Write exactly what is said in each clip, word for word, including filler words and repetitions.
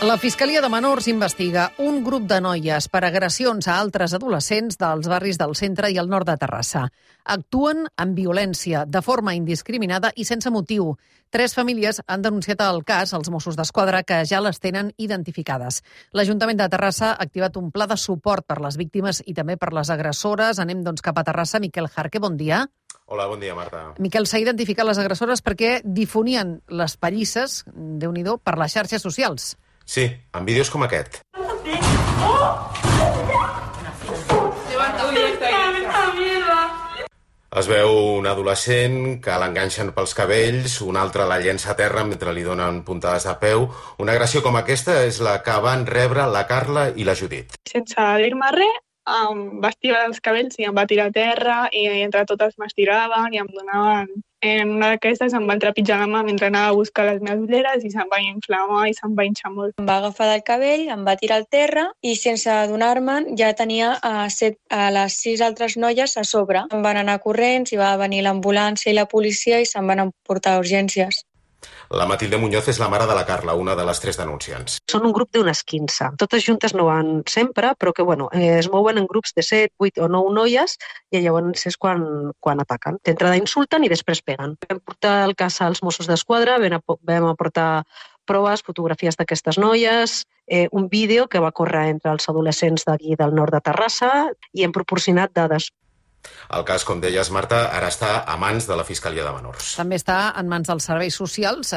La Fiscalia de Menors investiga un grup de noies per agressions a altres adolescents dels barris del centre i el nord de Terrassa. Actuen amb violència, de forma indiscriminada i sense motiu. Tres famílies han denunciat el cas als Mossos d'Esquadra, que ja les tenen identificades. L'Ajuntament de Terrassa ha activat un pla de suport per les víctimes i també per les agressores. Anem doncs cap a Terrassa. Miquel Jarque, bon dia. Hola, bon dia, Marta. Miquel, s'ha identificat les agressores perquè difonien les pallisses, Déu-n'hi-do, per les xarxes socials. Sí, amb vídeos com aquest. Es veu un adolescent que l'enganxen pels cabells, un altre la llença a terra mentre li donen puntades de peu. Una agressió com aquesta és la que van rebre la Carla i la Judit. Sense dir-me res, em va estirar els cabells i em va tirar a terra i entre totes m'estiraven i em donaven... En una d'aquestes em van trepitjar la mà mentre anava a buscar les meves ulleres i se'm va inflamar i se'm va hinxar molt. Em va agafar del cabell, em va tirar al terra i sense adonar-me'n ja tenia a, set, a les sis altres noies a sobre. Em van anar corrents i va venir l'ambulància i la policia i se'm van emportar a urgències. La Matilde Muñoz és la mare de la Carla, una de les tres denunciants. Són un grup d'unes quinze. Totes juntes no van sempre, però que bueno, eh, es mouen en grups de set, vuit o nou noies i llavors és quan, quan ataquen. D'entrada insulten i després peguen. Vam portar el cas als Mossos d'Esquadra, vam aportar proves, fotografies d'aquestes noies, eh, un vídeo que va córrer entre els adolescents d'aquí del nord de Terrassa i hem proporcionat dades. El cas, com deies, Marta, ara està a mans de la Fiscalia de Menors. També està en mans dels serveis socials.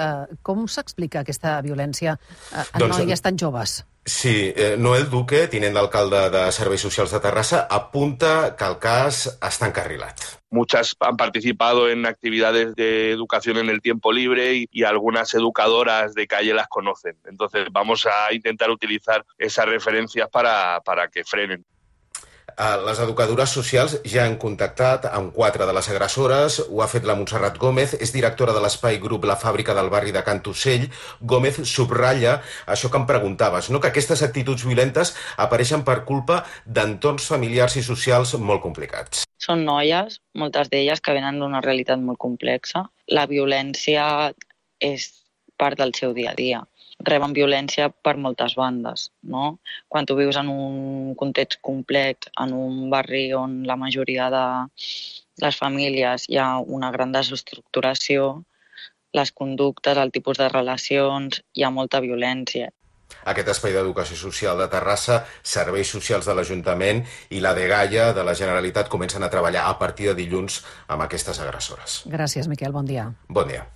Com s'explica aquesta violència en doncs, noies tan joves? Sí, eh, Noel Duque, tinent d'alcalde de Serveis Socials de Terrassa, apunta que el cas està encarrilat. Muchas han participado en actividades de educación en el tiempo libre y, y algunas educadoras de calle las conocen. Entonces vamos a intentar utilizar esas referencias para, para que frenen. Les educadores socials ja han contactat amb quatre de les agressores. Ho ha fet la Montserrat Gómez, és directora de l'espai grup La Fàbrica del barri de Can Tussell. Gómez subratlla això que em preguntaves, no? Que aquestes actituds violentes apareixen per culpa d'entorns familiars i socials molt complicats. Són noies, moltes d'elles, que venen d'una realitat molt complexa. La violència és part del seu dia a dia. Reben violència per moltes bandes, no? Quan tu vius en un context complex, en un barri on la majoria de les famílies hi ha una gran desestructuració, les conductes, el tipus de relacions, hi ha molta violència. Aquest espai d'educació social de Terrassa, serveis socials de l'Ajuntament i la dgaia de la Generalitat comencen a treballar a partir de dilluns amb aquestes agressores. Gràcies, Miquel. Bon dia. Bon dia.